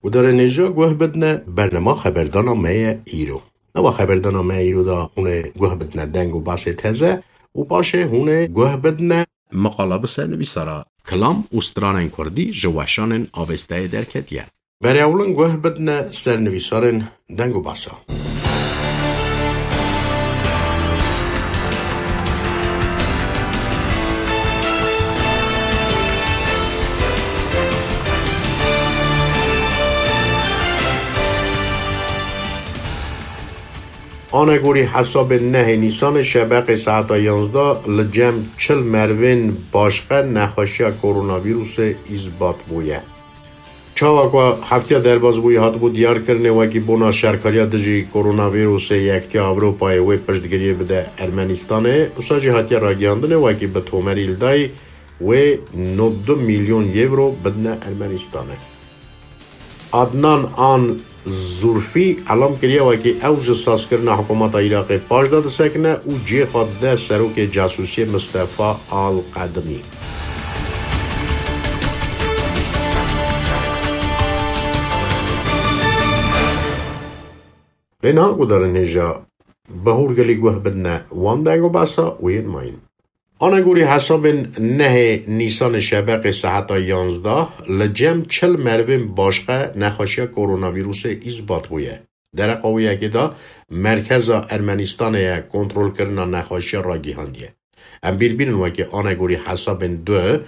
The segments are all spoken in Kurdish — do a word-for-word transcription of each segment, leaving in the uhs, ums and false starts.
Gudarên hêja guh bidine bernama xeberdana me ye îro. Nava xeberdana me îro de hûn ê guh bidine deng û basê teze û paşê hûn ê guh bidine miqala bi sernivîsara kilam û stranên kurdî ji weşanên Avestayê derketiye. Berê ewlin guh bidine sernivîsarên deng û basa. Anegorî hesabên nehê Nîsanê şebeqê saeta yanzdeh li cem çil merivên başqe nexweşiya koronavîrusê îsbat bûye. Çawa ku heftiya derbas bûyî hatibû diyarkirinê wekî bona şerkariya dijî koronavîrusê Yektiya Ewropayê wê piştgiriyê bide Ermenîstanê, wisa jî hatiye ragihandinê wekî bi tomerî li dayî wê nod du milyon yewro bidine Ermenîstanê. Adnan An Zurfî elam kiriye wekî ew ji sazkirina hikûmeta Iraqê paş de disekine û cihê xwe dide serokê casûsiyê Mistefa Al Qedimî. Lê niha gudarên hêja bi hûrgilî guh bidine wan deng û basa û yên mayîn. Anegorî hesabên nehê Nîsanê şebeqê saeta yanzdeh li cem çil merivên başqe nexweşiya koronavîrusê îsbat bûye. Dereqa wê yekê de merkeza Ermenîstanê ye kontrolkirina nexweşiya ragihandiye. Em bîr bînin wekî anegorî hesabên du,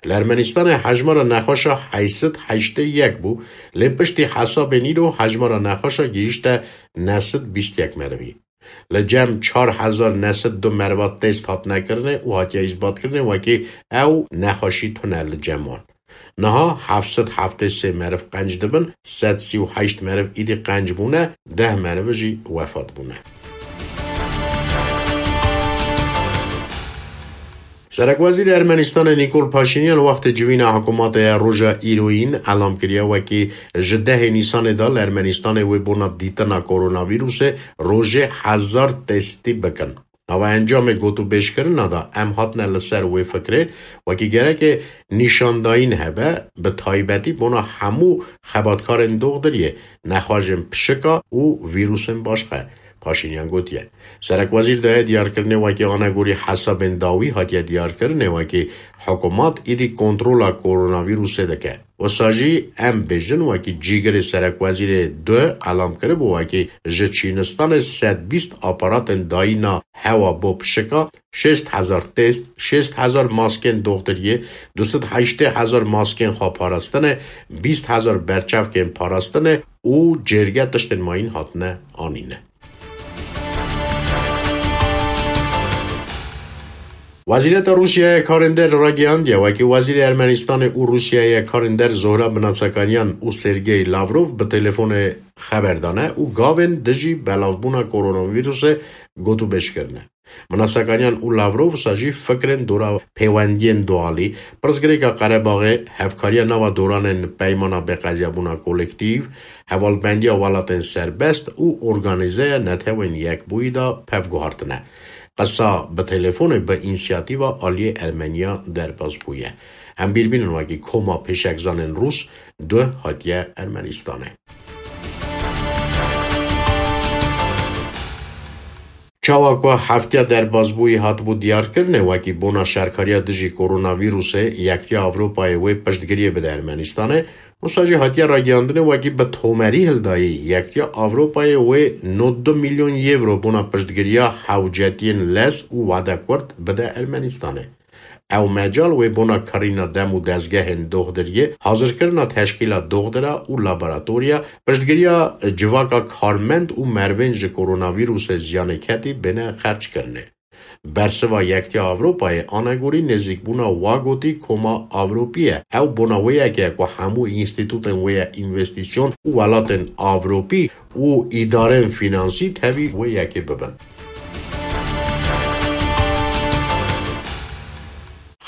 li Ermenîstanê hejmara nexweşa heyt sed heştê yek bû, lê piştî hesabên îro hejmara nexweşa gihîşte neh sed bîst yek merivî. Li cem çar hezar neh sed du meriva test hatine kirinê û hatiye îsbatkirinê wekî ew nexweşî tune li cem wan. Niha heft sed heftê sê meriv qenc dibin, sed sî û heşt meriv îdî qenc bûne, deh meriv jî wefat bûne. Serekwezîrê Ermenîstanê Nîkol Paşînyan wextê civîna hikûmetê ya roja îroyîn elam kiriye wekî ji dehê Nîsanê de li Ermenîstanê wê bona dîtina koronavîrusê rojê hezar testî bikin. Nava encamê gotûbêjkirina de em hatine li ser wê fikrê, wekî gereke nîşandayîn hebe, bi taybetî bona hemû xebatkarên doxdiriyê, nexweşên pişika û vîrusên başqe. Paşînyan gotiye. Serekwezîr daye diyarkirinê wekî anegorî hesabên dawî hatiye diyarkirinê wekî hikûmet îdî kontrola koronavîrusê dike. Wisa jî em bêjin wekî cîgirê serekwezîrê du elam kiribû wekî ji çînistanê sed bîst aparatên dayîna hewa bo pişika, şêst hezar test, şêst hezar maskên doxtiriyê, du sed heştê hezar maskên xweparastinê, bîst hezar berçavkên parastinê û cêrge tiştên mayîn hatine anîne. Wezîreta Rûsyayê Karênder ragihandiye, wekî Wezîrê Ermenîstanê û Rûsyayê Karênder Zohra Binatsakaniyan û Sergey Lavrov bi telefonê xeber dane û gavên dijî belavbûna koronavîrusê gotûbêj kirine. Binatsakaniyan û Lavrov wisa jî fikrên dora pêwendiyên dualî, pirsgirêka Qerebaxê, hevkariya nava doranên peymana bêqediyabûna kolektîv, hevalbendiya welatên serbest û organîzeya Netewên Yekbûyî de pev guhartine. Qisa bi telefonê bi însiyatîva aliyê Ermeniya derbas bûye. Em bîr bînin wekî koma pêşekzanên Rûs du hatiye Ermenîstanê. Çawa ku heftiya derbasbûyî hatibû diyarkirinê wekî bona şerkariya dijî koronavîrusê Yektiya Ewropayê wê piştgiriyê bide Ermenîstanê, wisa jî hatiye ragihandinê wekî bi tomerî hildayî Yektiya Ewropayê wê nod du milyon yewro bona piştgiriya hewcetiyên lez û wade kurt bide Ermenîstanê. Ew mecal wê bona kirîna dem û dezgehên doxdiriyê, hazirkirina teşkîla doxdira û laboratoriya, piştgiriya civaka karmend û merivên ji koronavîrusê ziyanê ketî bêne xerckirinê. Bersiva Yektiya Ewropayê anegorî nêzîkbûna wa gotî Koma Ewropî ye. Ew bona wê yekê ye ku hemû înstîtûtên wê ye învestîsyon û welatên Ewropî û îdarên fînansî tevî wê yekê bibin.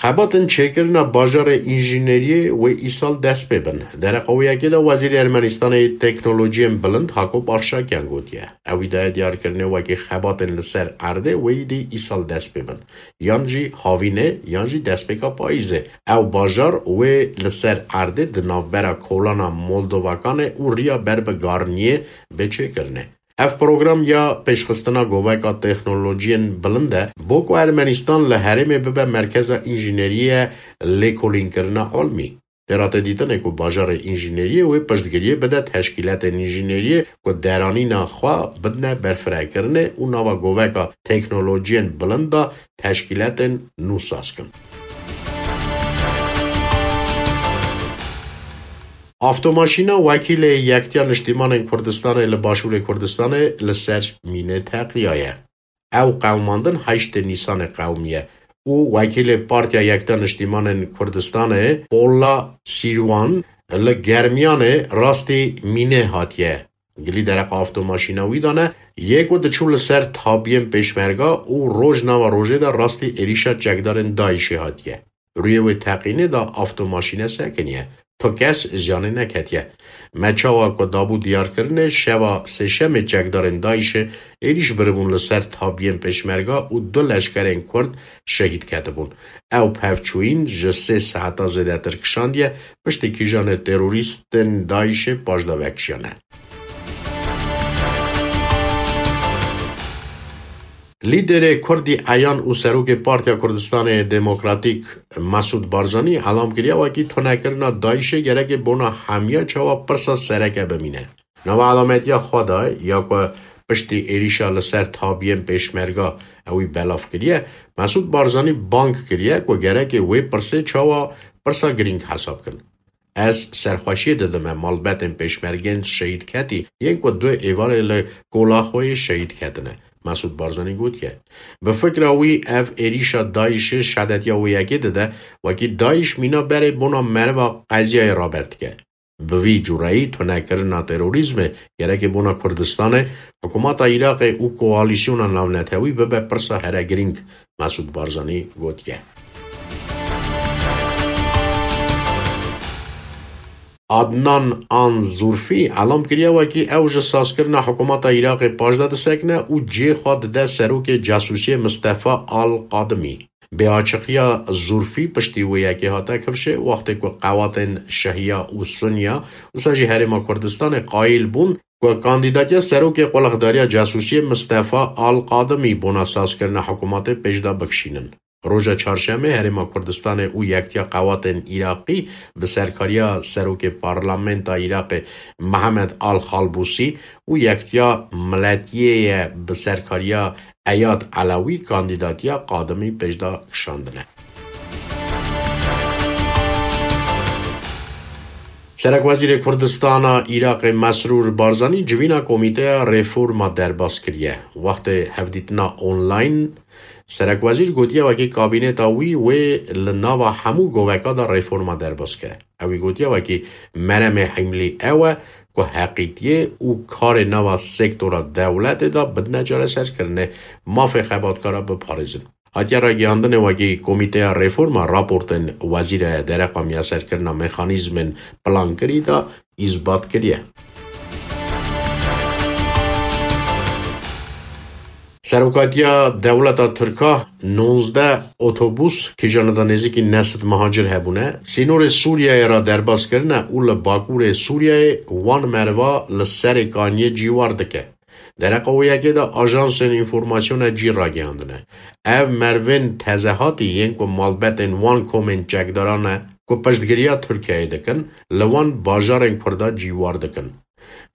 Xebatên çêkirina bajarê înjîneriyê wê îsal dest pê bin. Dereqa wê yekê de Wezîrê Ermenistanê yê Teknolojiyên Bilind Hakop Arşakyan gotiye. Ew î daye diyarkirinê wekî xebatên li ser erdê wê yî dî îsal dest pê bin. Yan jî havînê, yan jî destpêka payîzê. Ew bajar wê li ser erdê di navbera kolana Moldovakanê û riya ber bi Garniyê bê çêkirinê. Ev program ya pêşxistina goveka teknolojiyên bilind e, bo ku Ermenistan li herêmê bibe merkeza înjîneriyê, lêkolînkirina almî. Tê re tê dîtinê ku bajarê înjîneriyê wê piştgiriyê bide teşkîletên înjîneriyê ku deranîna xwe bidine berfirekirinê û nava goveka teknolojiyên bilind de teşkîletên nû saz kin. Avtomaşîna wekîlê Yektiya Niştîmanên Kurdistanê li Başûrê Kurdistanê li ser mînê teqiyaye. Ew qewimandin heştê Nîsanê qewimiye û wekîlê Partiya Yektiya Niştîmanên Kurdistanê, Pola Sîrwan, li Germiyanê rastî mînê hatiye. Gilî dereqa avtomaşîna wî dane, yê ku diçû li ser tabiyên pêşmerga û roj nava rojê de rastî êrîşa çekdarên DAIŞê hatiye. Rûyê wê teqînê de avtomaşîne sekiniye. Tu kes ziyanê neketiye. Me çawa ku dabû diyarkirinê, şeva sêşemê çekdarên DAIŞê êrîş biribûn li ser tabiyên pêşmerga û du leşkerên Kurd şehîd ketibûn. Ew pevçûyîn ji sê saeta zêdetir kişandiye, piştî kîjanê terorîstên DAIŞê paşda vekişiyane. Lîderê Kurdî eyan û serokê Partiya Kurdistanê Demokratîk Mesûd Barzanî elam kiriye, wekî tunekirina DAIŞê gerekê bona hemiya çawa pirsa sereke bimîne. Nava elametiya xwe de ya ku piştî êrîşa li ser tabiyên pêşmerga ewî belav kiriye, Mesûd Barzanî bang kiriye ku gerekê wê pirsê çawa pirsa girîng hesab kin. Ez serxweşiyê didime malbetên pêşmergên şehîd ketî, yên ku du êvarê li kola xwe yê şehîd ketine, Mesûd Barzanî gotiye. Bi fikra wî ev êrîşa DAIŞê şedetiya wê yekê dide, wekî DAIŞ mîna berê bona meriva qeziyayê raber dike. Bi vî cureyî tunekirina terorîzmê gerekê bona Kurdistanê, hikûmeta Iraqê û koalîsyona navnetewî bibe pirsa here girîng, Mesûd Barzanî gotiye. Adnan An Zurfî elam kiriye wekî ew ji sazkirina hikûmeta Iraqê paşda disekine û cihê xwe dide serokê casûsiyê Mistefa Al Qadimî. Bêaçiqiya Zurfî piştî wê yekê hate kifşê, wextê ku qewatên Şehiya û Sunniya, wisa jî Herêma Kurdistanê qayîl bûn ku kandîdatiya serokê qulixdariya casûsiyê Mistefa Al Qadimî bona sazkirina hikûmetê pêşda bikişînin. Roja çarşemê Herêma Kurdistanê û Yektiya Qewatên Iraqî bi serkariya serokê Parlamenta Iraqê Mehemed Al Xalbûsî û Yektiya Miletiyê ye bi serkariya Eyad Elewî kandîdatiya Qadimî pêşda kişandine. Serekwezîrê Kurdistana Iraqê Mesrûr Barzanî civîna Komîteya Reforma derbas kiriye. Wextê hevdîtina online, Serekwezîr gotiye wekî kabîneta wî wê li nava hemû goveka de reforma derbas ke. Ewî gotiye wekî meremê himlî ew e ku heqîtiyê û karê nava sektora dewletê de bidine çareserkirinê, mafê xebatkara biparêzin. Hatiye ragihandinê wekî Komîteya Reforma raportên Wezîrê Dereqa Miyaserkirina Mexanîzmên Plankirî de îsbat kiriye. Serokatiya Dewleta Tirka nonzdeh otobus kîjanê de nêzîkî neh sed mihacir hebûne, sînorê Sûriyeyê re derbas kirine û li bakurê Sûriyeyê wan meriva li Serê Kaniyê cîwar dike. Dereqa wê yekê de ajansên înformasyonê cî ragihandine. Ev merivên tezehatî yên ku malbetên wan komên çekdaran e ku piştgiriya Tirkiyeyê dikin, li wan bajarên Kurda cîwar dikin.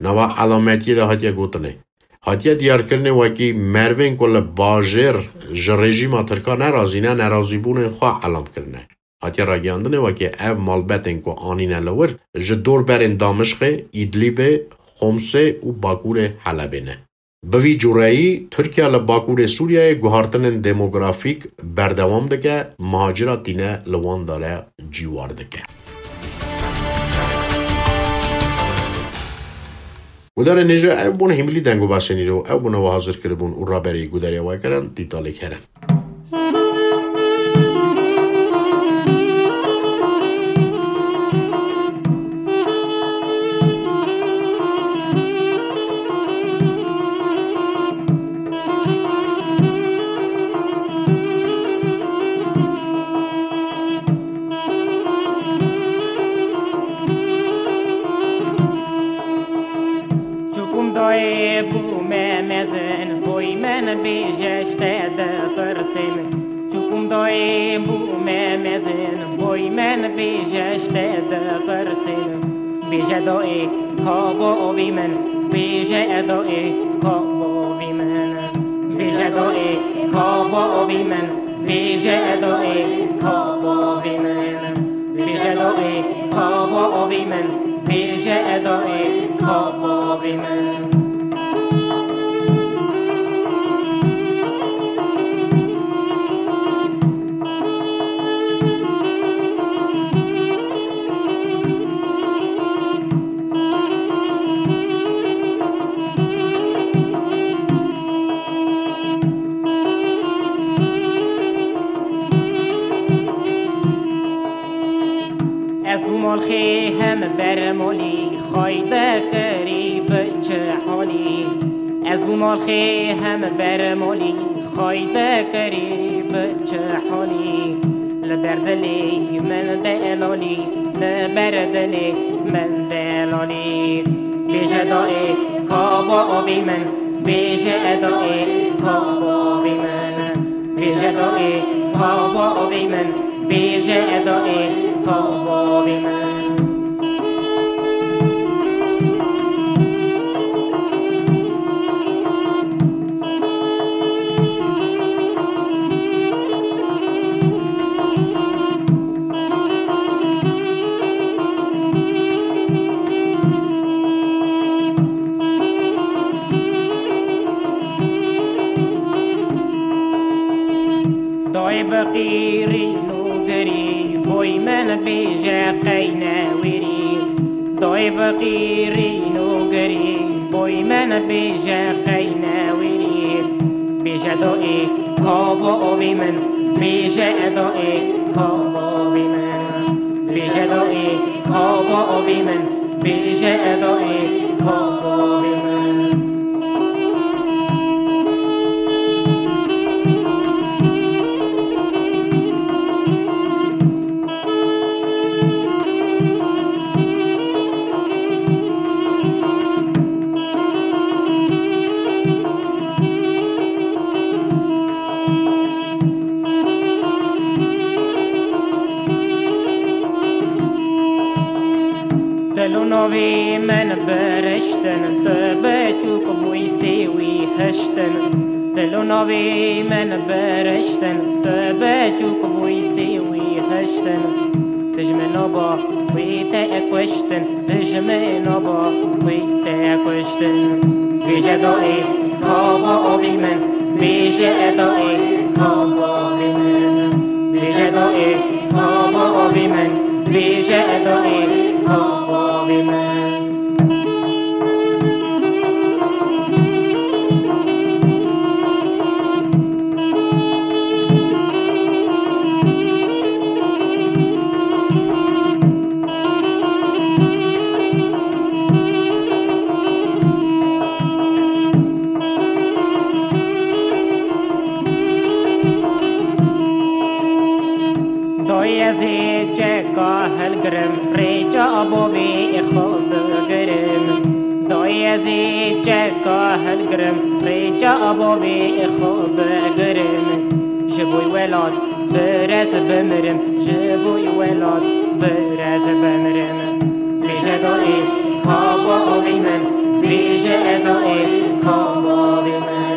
Nava elametiyê de hatiye gotinê. Hatiye diyarkirinê wekî merivên ku li bajêr ji rejîma Tirka nerazî ne, nerazîbûnên xwe elam kirine. Hatiye ragihandinê wekî ev malbetên ku anîne li wir ji dorberên Damişqê, Îdlîbê, Xomsê û bakurê Helebê ne. Bi vî cureyî, Tirkiye li bakurê Sûriyeyê guhartinên demografîk berdewam dike, mihacira tîne li wan dare cîwar dike. Gudarên hêja, ev bûn hîmilî deng û basên îro, ew bûne we hazir kiribûn û raberî gudariya we kirin, Dîtalê Kerem. Bûme mezin, boy min bêje, ji te dipirsê min. Çûkum dayê bûme mezin, boy min bêje, ji te dipirsê min. Bêje dayê ka bavê min, bêje dayê ka bavê min. Bêje dayê ka bavê min, bêje dayê ka bavê min. Bêje dayê ka bavê min, bêje dayê ka bavê min. Ez bû malxê hem bermolî, xayde kirî bi çi halî. Ez bû malxê hem bermolî, xayde kirî bi çi halî. Li ber dilê min delalî, li ber dilê min delalî. Bêje dayê ka bavê min, bêje dayê ka bavê min. Bêje dayê ka bavê min, bêje dayê ka bavê min. Dayê biqîrîn û girî, boy min bêje qey newêrî. Dayê biqîrîn û girî, boy min bêje qey newêrî. Bêje dayê ka bavê min, bêje dayê ka bavê min. Bêje dayê ka bavê min, bêje dayê ka bavê min. Dil û navê min biriştin, tu biçûk bûyî sêwî hiştin. Dil û navê min biriştin, tu biçûk bûyî sêwî hiştin. Dijmina ba wî te kuştin, dijmina ba wî te kuştin. Bêje dayê ka bavê min, bêje dayê ka bavê min. Bêje dayê ka bavê min, bêje dayê ka bavê min. Dayê ez ê çeka hilgirim, rêça bavê xwe bigirim. Dayê ez ê çeka hilgirim, rêça bavê xwe bigirim. Ji bo welat birez bimirim, ji bo welat birez bimirim. Bêje dayê ka bavê min, bêje dayê ka bavê min.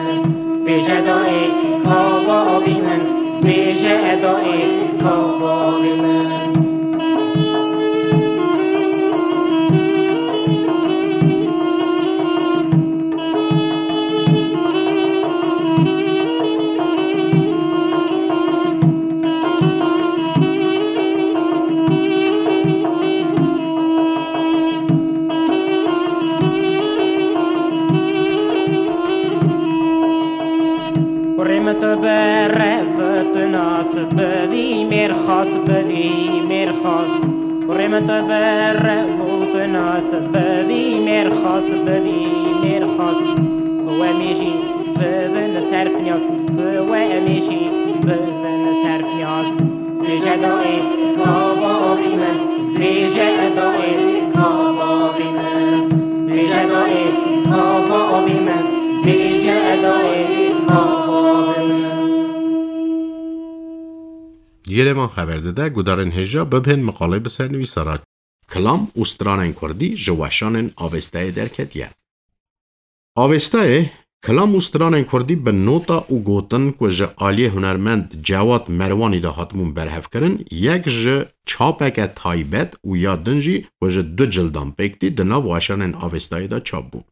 Bêje dayê ka bavê min, bêje dayê ka bavê min. Kurê min tu bi rev, tu nas, bi vî mêrxas, bi vî mêrxas. Kurê min tu bi rev û tu nas, bi vî mêrxas, bi vî mêrxas. Ku we mêjî bibin serfinyaz, ku we mêjî bibin serfinyaz. Bêje dayê ka bavê min, bêje dayê ka bavê min. Bêje dayê ka bavê Yerevan xeber dide, gudarên hêja bibên miqalê bi sernivîsa re. Kilam û stranên kurdî ji weşanên Avêstayê derketiye. Avêstayê, kilam û stranên kurdî bi nota û gotin ku ji aliyê hunermend Cewad Merwanî de hatibûn berhevkirin, yek ji çapeke taybet û ya din jî ku ji du cildan pêk tî di nav weşanên Avêstayê de çap bû.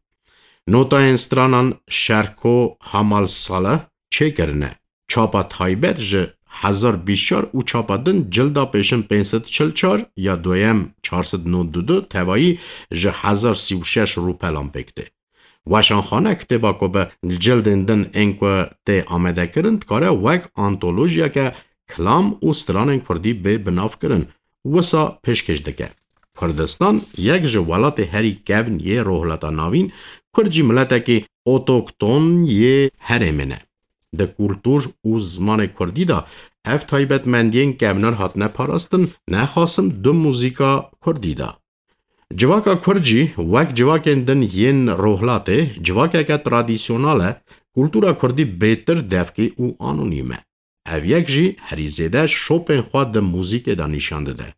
Notayên stranan Şerko Hamal Saleh çêkirine. Çapa taybet ji hezar bîst çar û çapa din cilda pêşin pênc sed çil çar, ya doyem çar sed nod û du, tevayî ji hezar sî û şeş rûpelan pêk tê. Weşanxane kitêba ku bi cildên din ên ku tê amadekirin dikare wek antolojiyeke kilam û stranên kurdî bê binavkirin, wisa pêşkêş dike. Kurdistan yek ji welatê herî kevn yê Rojhilata Navîn, Kurd jî miletekî otokton yê herêmê ne. Di kultur û zimanê kurdî de ev taybetmendiyên kevnar hatine parastin, nexasim di muzîka kurdî de. Civaka kurd jî wek civakên din yên Rojhilatê civakeke tradisyonal e, kultura kurdî bêtir devkî û anonîm e. Ev yek jî herî zêde şopên xwe di muzîkê de nîşan dide.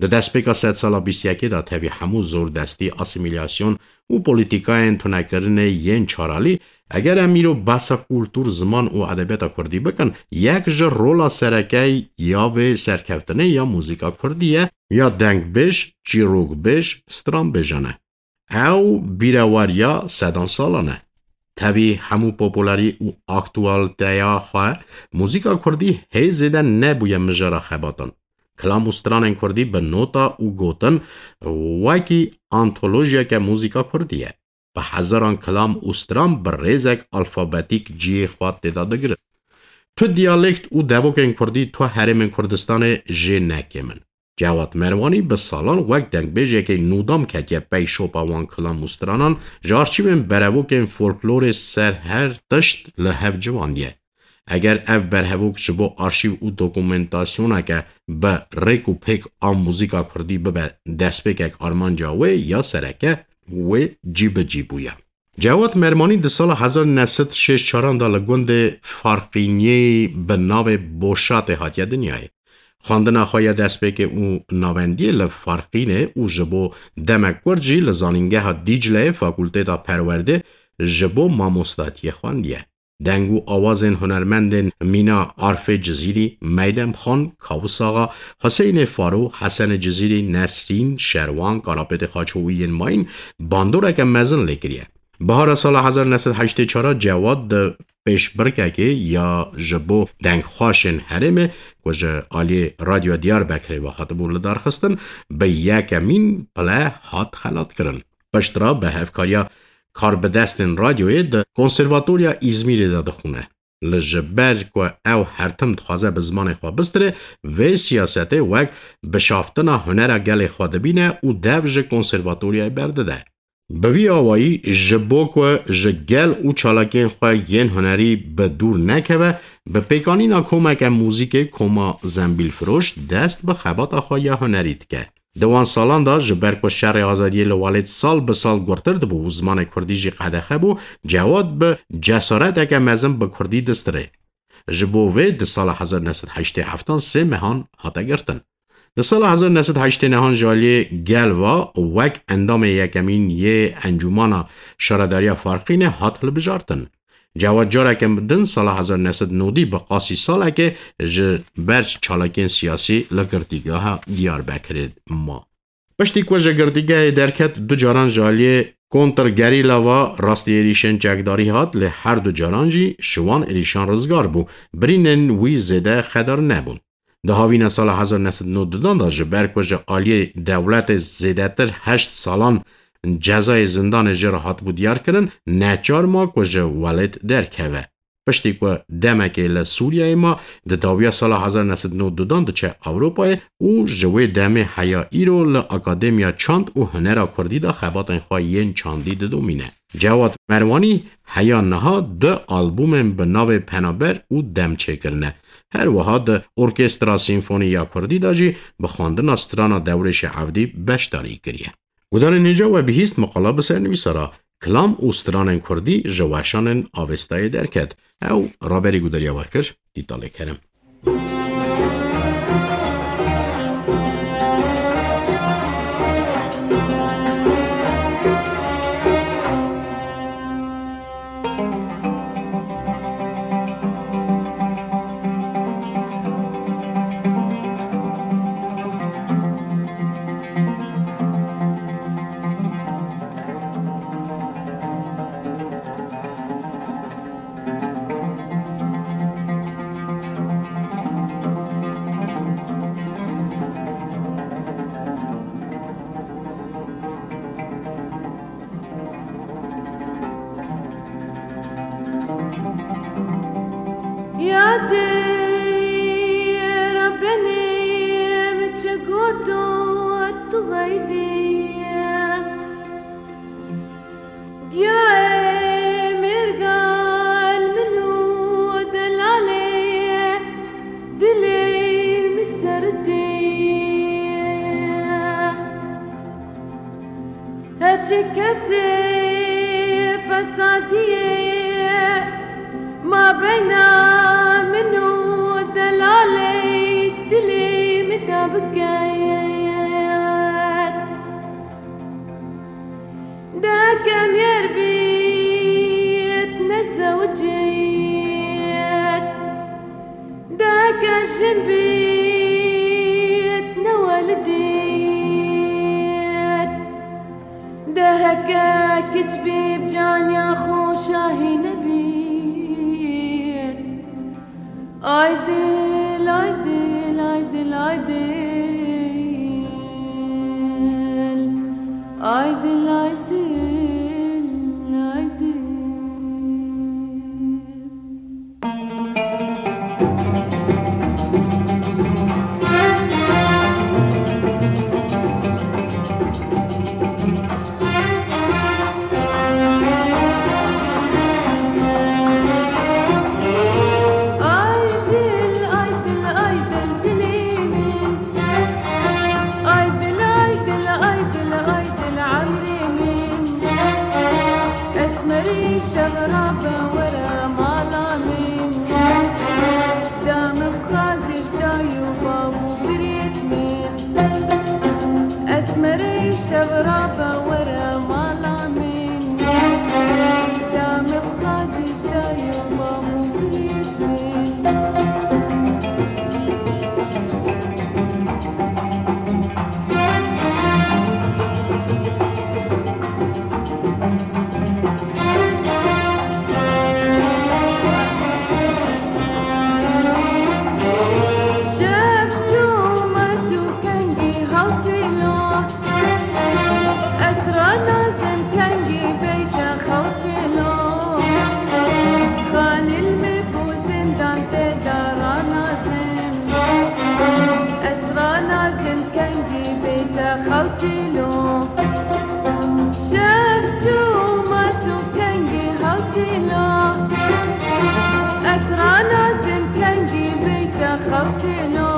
Di destpêka sedsala bîst yekê de tevî hemû zordestî, asîmîlasyon û polîtîkayên tunekirinê yên çaralî, eger em îro behsa kultur, ziman û edebiyata kurdî bikin, yek ji rola sereke ya vê serkeftinê ya muzîka kurdî ye, ya dengbêj, çîrokbêj, stranbêjan e. Ew bîreweriya sedan salan e. Tevî hemû popularî û aktualiteya xwe, muzîka kurdî hê zêde nebûye mijara xebatan. Kilam û stranên kurdî bi nota û gotin wekî antolojiyeke muzîka kurdî ye. Bi hezaran kilam û stran bi rêzek alfabetîk cihê xwe tê de digirin. Tu diyalekt û devokên kurdî tu herêmên Kurdistanê jê nekêm in. Cewad Merwanî bi salan wek dengbêjekê nûdam ketiye pey şopa wan kilam û stranan, ji arşîvên berevokên folklorê ser her tişt li hev ciwandiye. Eger ev berhevok ji bo arşîv û dokumentasyoneke bi rêk û pêk a muzîka kurdî bibe destpêkek armanca wê ya sereke, wê cî bi cî bûye. Cewad Mermanî di sala hezar neh sed şêst çaran de li gundê Farqîniyê bi navê Boşatê hatiye dinyayê. Xwendina xwe ya destpêkê û navendiyê li Farqînê û ji bo demek kurt jî li Zanîngeha Dîcleyê Fakulteta Perwerdê ji bo mamostatiyê xwendiye. Deng û awazên hunermendên mîna Arfê Cizîrî, Meylem Xan, Kawis Axa, Huseynê Faro, Hesenê Cizîrî, Nesrîn, Şerwan, Karapêtê Xaço û yên mayîn bandoreke mezin lê kiriye. Bihara sala hezar neh sed heştê çar Cewad di pêşbirkekê ya ji bo dengxweşên herêmê ku ji aliyê Radyoya Diyarbekirê ve hatibû lidarxistin, bi yekemîn pile hat xelatkirin. Piştre bi hevkariya karbidestên radyoyê di Konservatoriya Îzmîrê de dixwîne. Li ji ber ku ew her tim dixwaze bi zimanê xwe bistirê, vê siyasetê wek bişaftina hunera gelê xwe dibîne û dev ji konservatoriyayê berdide. Bi vî awayî ji bo ku ji gel û çalakiyên xwe yên hunerî bi dûr nekeve, bi pêkanîna komeke muzîkê koma Zembîlfiroş dest bi xebata xwe ya hunerî dike. Di wan salan de ji ber ku şerê azadiyê li welêt sal bi sal gurtir dibû û zimanê kurdî jî qedexe bû, Cewad bi cesareteke mezin bi kurdî distirê. Ji bo vê di sala hezar neh sed heştê heftan sê mehan hate girtin. Di sala hezar neh sed heştê nehan ji aliyê gel ve wek endamê yekemîn yê Encûmana Şaredariya Farqînê hat hilbijartin. Cewad careke din sala hezar neh sed nodî bi qasî salekê ji ber çalakiyên siyasî li girtîgeha Diyarbekirê ma. Piştî ku ji girtîgehê derket, du caran ji aliyê kontrgerîla ve rastî êrîşên çekdarî hat, lê her du caran jî ji wan êrîşan rizgar bû. Birînên wî zêde xedar nebûn. Di havîna sala hezar neh sed nod dudan de ji ber ku ji aliyê dewletê zêdetir heşt salan cezayê zindanê jê re hatibû diyarkirin, neçar ma ku ji welêt derkeve. Piştî ku demekê li Sûriyeyê ma, di dawiya sala hezar neh sed nod dudan diçe Ewropayê û ji wê demê heya îro li Akademiya Çand û Hunera Kurdî de xebatên xwe yên çandî didomîne. Cewad Merwanî heya niha du albûmên bi navê Penaber û Dem çêkirine. Her wiha di Orkestra Sîmfonî ya Kurdî de jî bi xwendina strana Dewrêşê Evdî beşdarî kiriye. Gudarên hêja, we bihîst miqala bi sernivîsa re. kilam û stranên kurdî ji weşanên Avestayê derket. Ew raberî guderiya we kir, Dîtalê Kerim. Yadê Rebbenê min çi got û tu heydê. Giyayê mêrgal min û delalê dilê min serdê. Heçi kesê fesadiyê mabeyna min û delalê dilê min de biket. Deheke mêr bît nezewicît, deheke jin bît newelidît, deheke kiç bî bi caniya xwe şahî nebît. Ay dil, ay dil, ay dil, ay dil. Ay dil, ay dil, ay dil. Ay dil, ay dil, ay dil, dilê min. Ay dil, ay dil, ay dil, ay dil, emrê min. Esmerî şev rabe were mala min. Dame bixwazî ji dayî û bav û birêt min. Esmerê şev rabe were mala min. Dame bixwazî ji dayî û bav û birêt min. Şev çû me tu kengî hewtî lo. Ez ranazim kengî beyte xewtî lo. Xanîl me bû zindan tê de ranazim. Ez ranazim kengî beyte xewtî lo. Şev çû me tu kengî hewtî lo. Ez ranazim kengî beyte xewtî lo.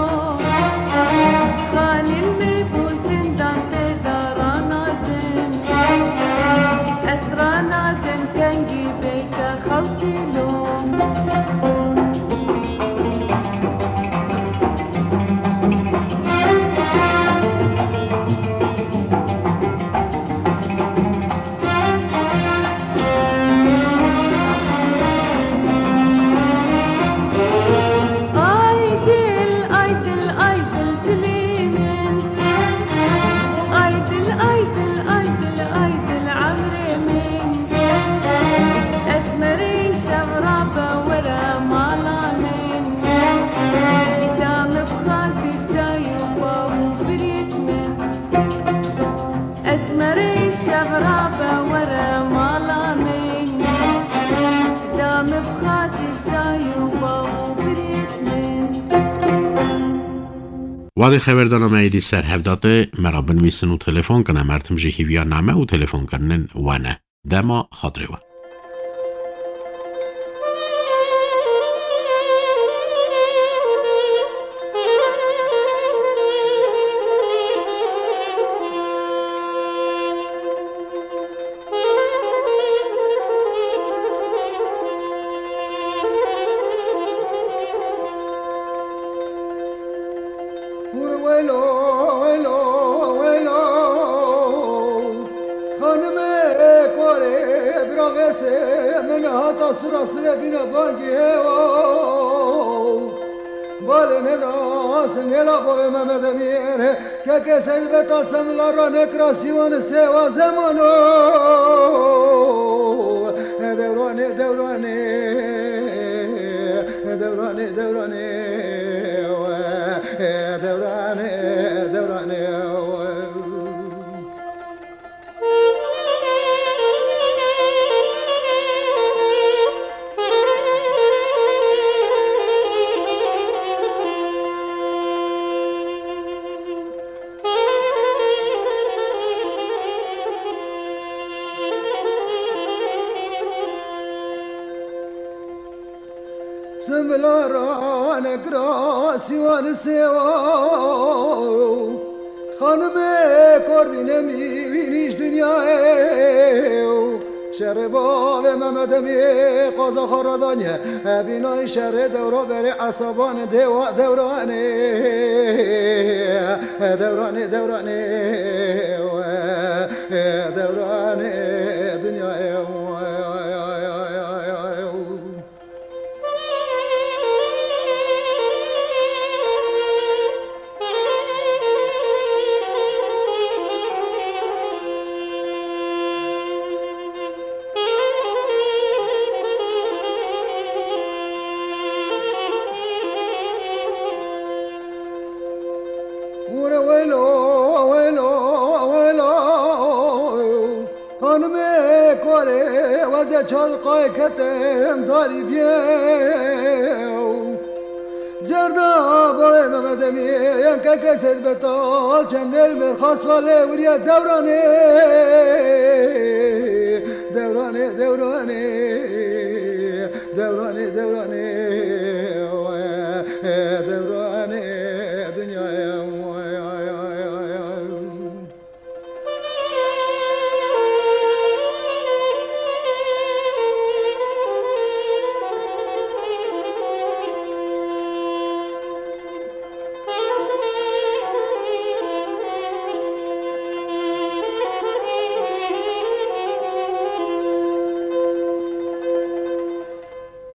Xanîl me bû zindan tê de ranazim. Ez ranazim kengî beyte xewtî lo. Ay dil, ay dil, ay dil, dilê min. Ay dil, ay dil, ay dil, ay dil, emrê min. Esmerê şev rabe were mala min. Dame bixwazî ji dayî û bav û birêt min. Esmerê şev rabe were mala min. Dame bixwazî ji dayî û bav û birêt min. Wadê xeberdana me êdî ser hevdate, me re binivîsin û telefon kin, em her tim jî hîviya name û telefonkirinên we ne. Dema xatirê we. Korê bira vêsê min hata sura sivê bîne bangî hêwa. Balê neda singêla bavê Mehmed Emîr. Kekê Seyd Betal semila ra nekira sîwan sêwa zemano. Dewranê, dewranê, dewranê, dewranê, dewranê, dewranê. Simbilara nekira sîwan sêwa. Xanimê kor bîne mî wî nîş dinyayê. Şerê bavê Mehmed Emî qaza xwe radaniye. Ebînayî şerê dewra berê esaban dêwa dewranê. Dewranê, dewranê, dewranê dinyayê. Were welo, welo, welo. Xanimê korê weze çal qayketim darî bîye. Cerda bavê Mehmed Emî, yen keke Seyd Betal, çend mêr mêr xas valê wiriye dewranê. Dewranê, dewranê.